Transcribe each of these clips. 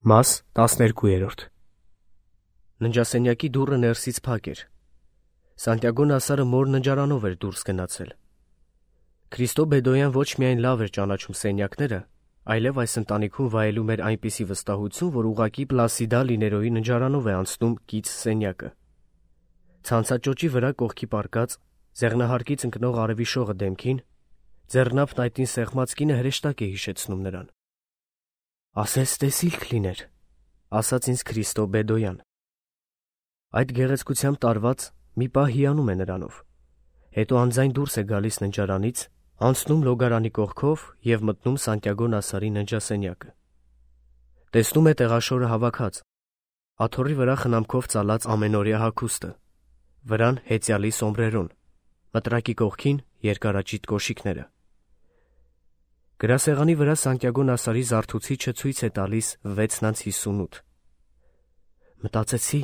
Մաս 12։ Ննջասենյակի դուռը ներսից փակ էր։ Սանտիագո Նասարը մոր ննջարանով էր դուրս գնացել։ Քրիստո Բեդոյան ոչ միայն լավ էր ճանաչում սենյակները, այլև այս ընտանիքում վայելում էր այնպիսի վստահություն, որ ուղղակի Պլասիդա Լիներոյի ննջարանով է անցնում կից սենյակը։ Ցանցաճոճի վրա կողքի պառկած, ձեղնահարկից ընկնող արևի շողը դեմքին, ձեռնափն այդին սեղմած կինը հրեշտակ է հիշեցնում նրան։ «Ասես տեսիլք լիներ», ասաց ինձ Քրիստո Բեդոյան։ Այդ գեղեցկությամբ տարված մի պահ հիանում է նրանով, հետո անձայն դուրս է գալիս ննջարանից, անցնում լոգարանի կողքով և մտնում Սանտիագո Նասարի ննջասենյակը։ Տեսնում է տեղաշորը հավաքած, աթոռի վրա խնամքով ծալած ամենօրյա հագուստը, վրան հեծյալի սոմբրերոն, մտրակի կողքին երկարաճիտ կոշիկները։ Գրասեղանի վրա Սանտիագո Նասարի զարթուցիչը ցույց է տալիս 6:58։ «Մտածեցի,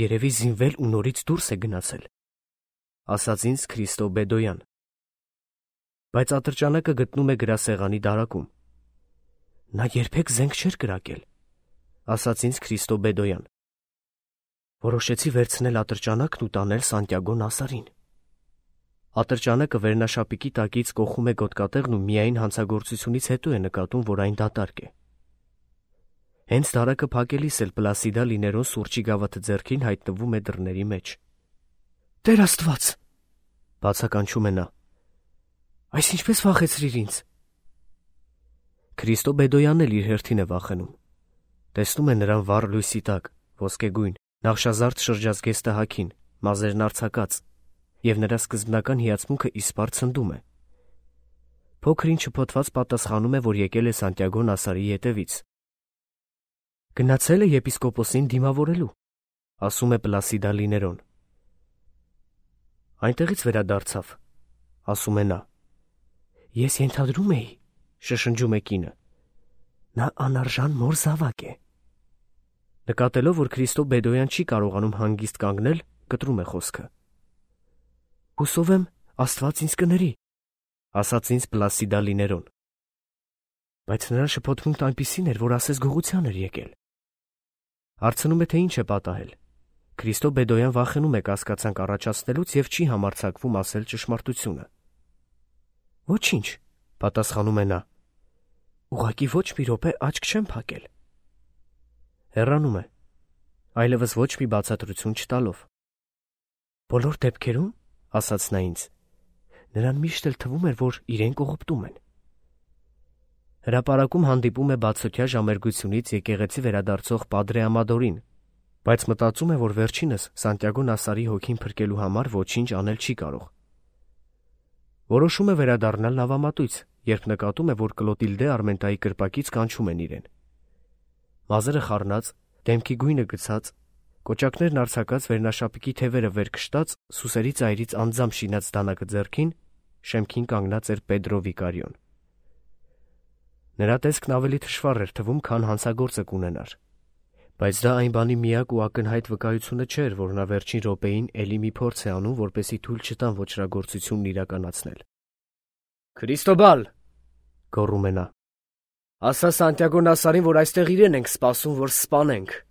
երևի զինվել ու նորից դուրս է գնացել», ասաց ինձ Քրիստո Բեդոյան։ Բայց ատրճանակը գտնում է գրասեղանի դարակում։ «Նա երբեք զենք չէր կրակել», ասաց ինձ Քրիստո Բեդոյան։ Որոշեցի վերցնել ատրճանակն ու տանել Սանտիագո Նասարին։ Ատրճանակը վերնաշապիկի տակից կոխում է գոտկատեղն ու միայն հանցագործությունից հետո է նկատում, որ այն դատարկ է։ Հենց դարակը փակելիս էլ Պլասիդա Լիներոն սուրճի գավաթը ձեռքին հայտնվում է դռների մեջ։ «Տեր Աստված», բացականչում է նա, «այս ինչպես վախեցրիր ինձ»։ Քրիստո Բեդոյանն էլ իր հերթին է վախենում։ Տեսնում է նրան վառ լույսի տակ, ոսկեգույն, նախշազարդ շրջազգեստը հագին, մազերն արձակած, և նրա սկզբնական հիացմունքը իսպառ ցնդում է։ Փոքր ինչ շփոթված պատասխանում է, որ եկել է Սանտիագո Նասարի ետևից։ «Գնացել է եպիսկոպոսին դիմավորելու», ասում է Պլասիդա Լիներոն։ «Այնտեղից վերադարձավ», ասում է նա։ «Ես ենթադրում էի», շշնջում է կինը, «նա անարժան մոր զավակ է»։ Նկատելով, որ Քրիստո Բեդոյան չի կարողանում հանգիստ կանգնել, կտրում է խոսքը։ «Հուսով եմ, Աստված ինձ կների», ասաց ինձ Պլասիդա Լիներոն։ Բայց նրա շփոթմունքն այնպիսին էր, որ ասես գողության էր եկել։ Հարցնում է, թե ինչ է պատահել։ Քրիստո Բեդոյան վախենում է կասկածանք առաջացնելուց և չի համարձակվում ասել ճշմարտությունը։ «Ոչինչ», պատասխանում է նա, «ուղղակի ոչ մի րոպե աչք չեմ փակել»։ Հեռանում է, այլևս ոչ մի բացատրություն չտալով։ «Բոլոր դեպքերում», ասաց նա ինձ, «նրան միշտ էլ թվում էր, որ իրեն կողոպտում են»։ Հրապարակում հանդիպում է բացօթյա ժամերգությունից եկեղեցի վերադարձող Պադրե Ամադորին, բայց մտածում է, որ վերջինս Սանտիագո Նասարի հոգին փրկելու համար ոչինչ անել չի կարող։ Որոշում է վերադառնալ նավամատույց, երբ նկատում է, որ Կլոտիլդե Արմենտայի կրպակից կանչում են իրեն։ Մազերը խառնած, դեմքի գույնը գցած, կոճակներն արձակած, վերնաշապիկի թևերը վեր քշտած, սուսերի ծայրից անձամբ շինած դանակը ձեռքին, շեմքին կանգնած էր Պեդրո Վիկարիոն։ Նրա տեսքն ավելի թշվառ էր թվում, քան հանցագործը կունենար, բայց դա այն բանի միակ ու ակնհայտ վկայությունը չէր, որ նա վերջին րոպեին էլի մի փորձ է անում, որպեսզի թույլ չտան ոճրագործությունն իրականացնել։ «Քրիստոբալ», գոռում է նա, «ասա Սանտիագո Նասարին, որ այստեղ իրեն ենք սպասում, որ սպանենք»։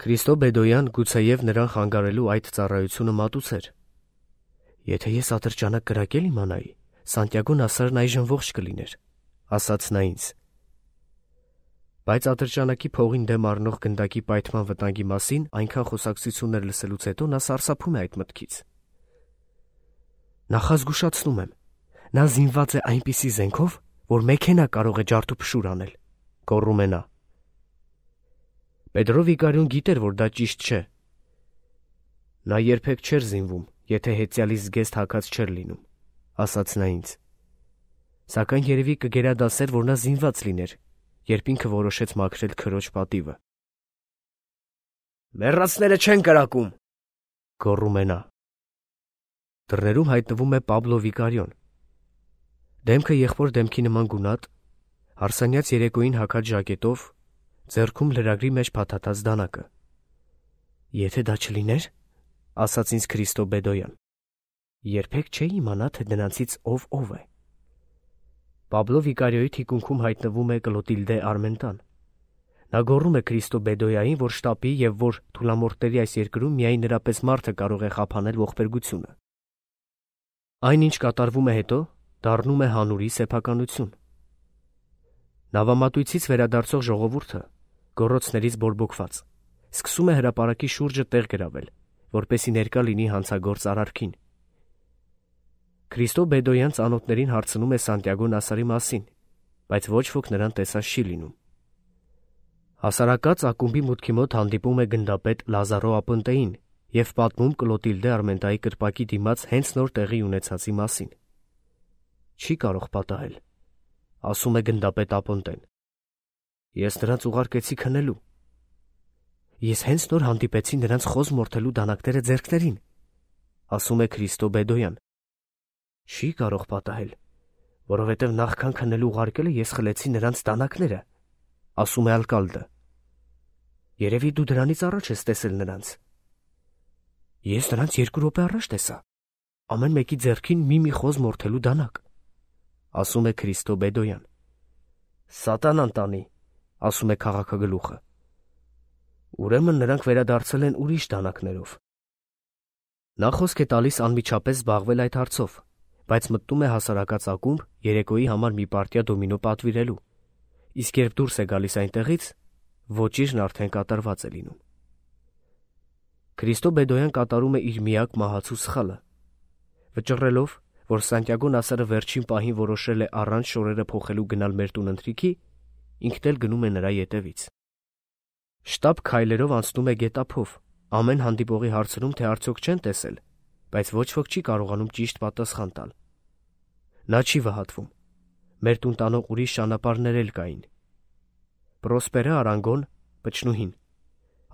Քրիստո Բեդոյան գուցեև նրան խանգարելու այդ ծառայությունը մատուցեր։ «Եթե ես ատրճանակ կրակել իմանայի, Սանտիագո Նասարն այժմ ողջ կլիներ», ասաց նա ինձ։ Բայց ատրճանակի փողին դեմ առնող գնդակի պայթման վտանգի մասին այնքան խոսակցություններ լսելուց հետո նա սարսափում է այդ մտքից։ «Նախազգուշացնում եմ, նա զինված է այնպիսի զենքով, որ մեքենա կարող է ջարդուփշուր անել», գոռում է նա։ Պեդրո Վիկարիոն գիտեր, որ դա ճիշտ չէ։ Նա երբեք չէր զինվում, եթե հեծյալի զգեստ հագած չէր լինում, ասաց նա ինձ։ Սակայն երևի կգերադասեր, որ նա զինված լիներ, երբ ինքը որոշեց մաքրել քրոջ պատիվը։ «Մեռածները չեն կրակում», գոռում է նա։ Դռներում հայտնվում է Պաբլո Վիկարիոն։ Դեմքը եղբոր դեմքի նման գունատ, հարսանյաց երեկոյին հագած ժակետով, ձեռքում լրագրի մեջ փաթաթած դանակը։ «Եթե դա չլիներ», ասաց ինձ Քրիստո Բեդոյան, «երբեք չէի իմանա, թե դրանցից ով է»։ Պաբլո Վիկարիոյի թիկունքում հայտնվում է Կլոտիլդե Արմենտան, Նա գոռում է Քրիստո Բեդոյային, որ շտապի եւ որ թուլամորթների այս երկրում միայն նրա պես մարդը կարող է խափանել ողբերգությունը։ Այն, ինչ կատարվում է հետո, դառնում է հանուրի սեփականություն։ Նավամատույցից վերադարձող ժողովուրդը, գոռոցներից բորբոքված, սկսում է հրապարակի շուրջը տեղ գրավել, որպեսզի ներկա լինի հանցագործ արարքին։ Քրիստո Բեդոյան ծանոթներին հարցնում է Սանտիագո Նասարի մասին, բայց ոչ ոք նրան տեսած չի լինում։ Հասարակած ակումբի մուտքի մոտ հանդիպում է գնդապետ Լազարո Ապոնտեին եւ պատմում Կլոտիլդե Արմենտայի կրպակի դիմաց հենց նոր տեղի ունեցածի մասին։ Չի կարող պատահել, ասում է գնդապետ Ապոնտեն։ Ես նրանց ուղարկեցի քնելու։ Ես հենց նոր հանդիպեցի նրանց խոզ մորթելու դանակները ձեռքներին, ասում է Քրիստո Բեդոյան։ Չի կարող պատահել, որովհետև նախքան քնելու ուղարկելը ես խլեցի նրանց դանակները, ասում է Ալկալդը։ Երևի դու դրանից առաջ ես տեսել նրանց։ Ես նրանց 2 րոպե առաջ տեսա։ Ամեն մեկի ձեռքին մի խոզ մորթելու դանակ, ասում է Քրիստո Բեդոյան։ Սատանան տանի, ասում է քաղաքագլուխը։ Ուրեմն նրանք վերադարձել են ուրիշ դանակներով։ Նա խոսք է տալիս անմիջապես զբաղվել այդ հարցով, բայց մտնում է հասարակած ակումբ երեկոյի համար մի պարտիա դոմինո պատվիրելու, իսկ երբ դուրս է գալիս այնտեղից, ոճիրն արդեն կատարված է լինում։ Քրիստո Բեդոյան կատարում է իր միակ մահացու սխալը, վճռելով, որ Սանտիագո Նասարը վերջին պահին որոշել է առանց շորերը փոխելու գնալ մեր տուն ընթրիքի, ինքն էլ գնում է նրա ետևից։ Շտապ քայլերով անցնում է գետափով, ամեն հանդիպողի հարցնում, թե արդյոք չեն տեսել, բայց ոչ ոք չի կարողանում ճիշտ պատասխան տալ։ Նա չի վհատվում։ Մեր տուն տանող ուրիշ ճանապարհներ էլ կային։ Պրոսպերը Արանգոն, պչնուհին,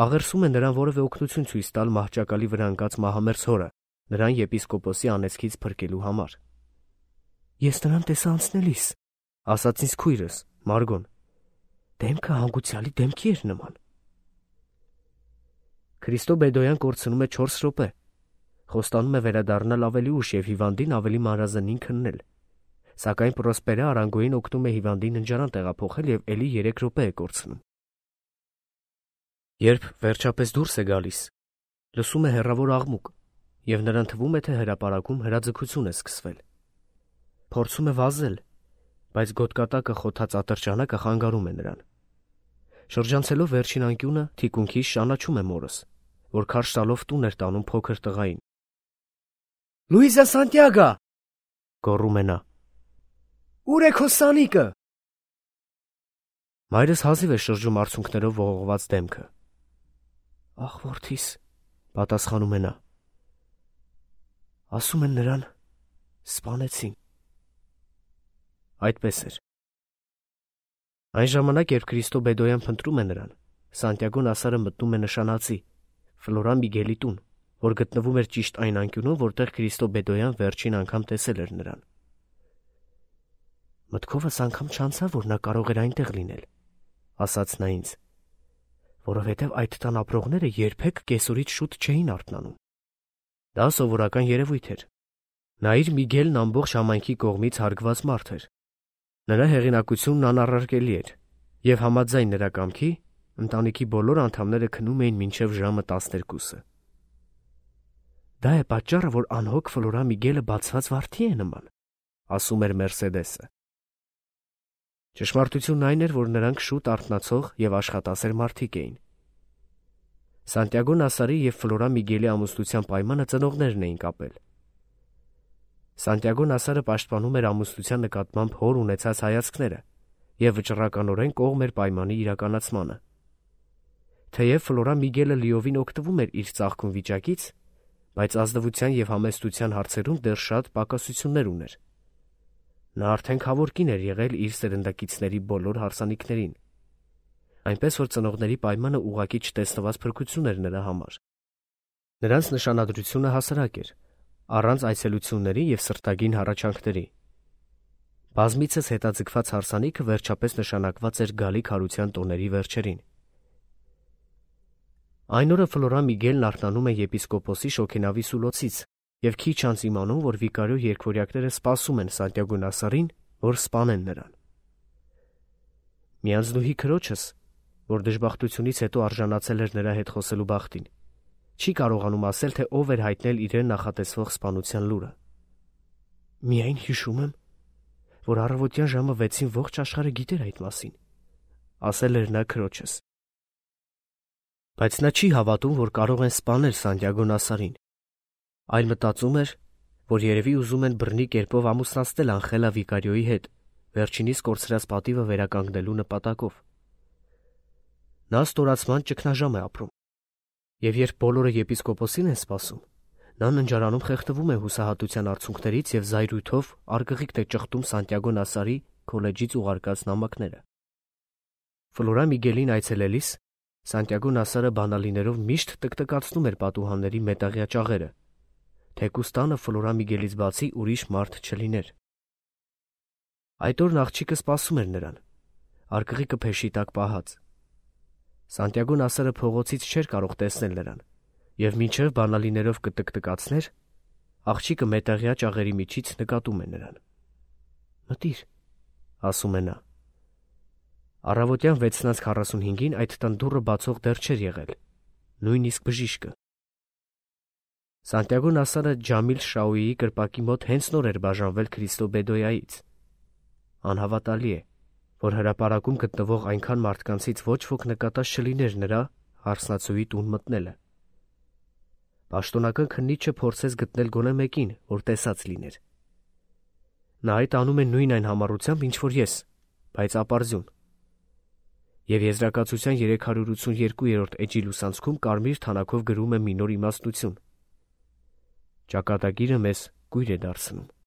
աղերսում է նրան որևէ օգնություն ցույց տալ մահճակալի վրա ընկած մահամերձ հորը, նրան եպիսկոպոսի անեծքից փրկելու համար։ Ես նրան տեսա անցնելիս, ասաց ինձ քույրս, Մարգոն։ Դեմքը հանգուցյալի դեմքի էր նման։ Քրիստո Բեդոյան կորցնում է 4 րոպե, խոստանում է վերադառնալ ավելի ուշ եւ հիվանդին ավելի մանրազնին քննել, սակայն Պրոսպերը Արանգոին օգնում է հիվանդին ննջարան տեղափոխել եւ ելի 3 րոպե է կորցնում։ Երբ վերջապես դուրս է գալիս, լսում է հեռավոր աղմուկ եւ նրան թվում է, թե հրապարակում հրաձգություն է սկսվել։ Փորձում է վազել, բայց գոտկատակը խոթած ատրճանակը խանգարում է նրան։ Շրջանցելով վերջին անկյունը, թիկունքից ճանաչում է մորս, որ քարշ տալով տուն էր տանում փոքր տղային։ Լուիզա Սանտիագո, գոռում է նա։ Ուր է քո սանիկը։ Մայրս հազիվ է շրջում արցունքներով ողողված դեմքը։ Ախ, որդիս, պատասխանում է նա։ Ասում են նրան սպանեցին։ Այդպես էր։ Այն ժամանակ, երբ Քրիստո Բեդոյան փնտրում է նրան, Սանտիագո Նասարը մտնում է նշանածի Ֆլորա Միգելի տուն, որ գտնվում էր ճիշտ այն անկյունում, որտեղ Քրիստո Բեդոյան վերջին անգամ տեսել էր նրան։ Մտքովս անգամ չանցավ, որ նա կարող էր այնտեղ լինել, ասաց նա ինձ, որովհետև այդ տան ապրողները երբեք կեսօրից շուտ չէին արթնանում։ Դա սովորական երևույթ էր։ Նայիր, Միգելն ամբողջ համայնքի կողմից հարգված մարդ էր։ Նրա հեղինակությունն անառարկելի էր, եւ համաձայն նրա կամքի, ընտանիքի բոլոր անդամները քնում էին մինչև ժամը 12-ը։ Դա է պատճառը, որ անհոգ Ֆլորա Միգելը բացված վարդի է նման, ասում էր Մերսեդեսը։ Ճշմարտությունն այն էր, որ նրանք շուտ արթնացող եւ աշխատասեր մարդիկ էին։ Սանտիագո Նասարի եւ Ֆլորա Միգելի ամուսնության պայմանը ծնողներն էին կապել։ Սանտիագո Նասարը պաշտպանում էր ամուսնության նկատմամբ հոր ունեցած հայացքները եւ վճռականորեն կողմ էր պայմանի իրականացմանը։ Թեև Ֆլորա Միգելը լիովին օգտվում էր իր ծաղկուն վիճակից, բայց ազնվության եւ համեստության հարցերում դեռ շատ պակասություններ ուներ։ Նա արդեն քավորքին էր եղել իր սերնդակիցների բոլոր հարսանիքներին, այնպես որ ծնողների պայմանը ուղղակի չտեսնված փրկություն էր նրա համար։ Նրանց նշանադրությունը հասարակ էր, առանց այցելությունների եւ սրտագին հառաչանքների։ Բազմիցս հետաձգված հարսանիքը վերջապես նշանակված էր գալիք հարության տոների վերջերին։ Այն օրը Ֆլորա Միգելն արթնանում է եպիսկոպոսի շոգենավի սուլոցից եւ քիչ անց իմանում, որ վիկարիո երկվորյակները սպասում են Սանտիագո Նասարին, որ սպանեն նրան։ Միանձնուհի քրոջս, որ դժբախտությունից հետո արժանացել էր նրա հետ խոսելու բախտին, չի կարողանում ասել, թե ով էր հայտնել իրեն նախատեսվող սպանության լուրը։ «Միայն հիշում եմ, որ առավոտյան ժամը 6-ին ողջ աշխարհը գիտեր այդ մասին», ասել էր նա քրոջս։ Բայց նա չի հավատում, որ կարող են սպանել Սանտիագո Նասարին, այլ մտածում էր, որ երևի ուզում են բռնի կերպով ամուսնացնել Անխելա Վիկարիոյի հետ, վերջինիս կորցրած պատիվը վերականգնելու նպատակով։ Նա ստորացման ճգնաժամ է ապրում, եւ երբ բոլորը եպիսկոպոսին են սպասում, նա ննջարանում խեղդվում է հուսահատության արցունքներից եւ զայրույթով արգղիկ է ճխտում Սանտիագո Նասարի քոլեջից ուղարկած նամակները։ Ֆլորա Միգելին այցելելիս Սանտիագո Նասարը բանալիներով միշտ տկտկացնում էր պատուհանների մետաղյա ճաղերը, թեկուզ տանը Ֆլորա Միգելից բացի ուրիշ մարդ չլիներ։ Այդ օրն աղջիկը սպասում էր նրան, արգղիկը փեշի տակ պահած։ Սանտիագո Նասարը փողոցից չէր կարող տեսնել նրան, եւ մինչև բանալիներով կտկտկացներ, աղջիկը մետաղյա ճաղերի միջից նկատում է նրան։ «Մտիր», ասում է նա։ Առավոտյան 6:45-ին այդ տան դուռը բացող դեռ չէր եղել, նույնիսկ բժիշկը։ Սանտիագո Նասարը Ջամիլ Շաուիի կրպակի մոտ հենց նոր էր բաժանվել Քրիստո Բեդոյայից։ Անհավատալի է, որ հրապարակում գտնվող այնքան մարդկանցից ոչ ոք նկատած չլիներ նրա հարսնացուի տուն մտնելը։ Պաշտոնական քննիչը փորձեց գտնել գոնե մեկին, որ տեսած լիներ։ Նա այդ անում է նույն այն համառությամբ, ինչ որ ես, բայց ապարզյուն։ Եվ Եզրակացության 382-րդ էջի լուսանցքում կարմիր թանաքով գրում է մի նոր իմաստնություն. «Ճակատագիրը մեզ կույր է դարձնում»։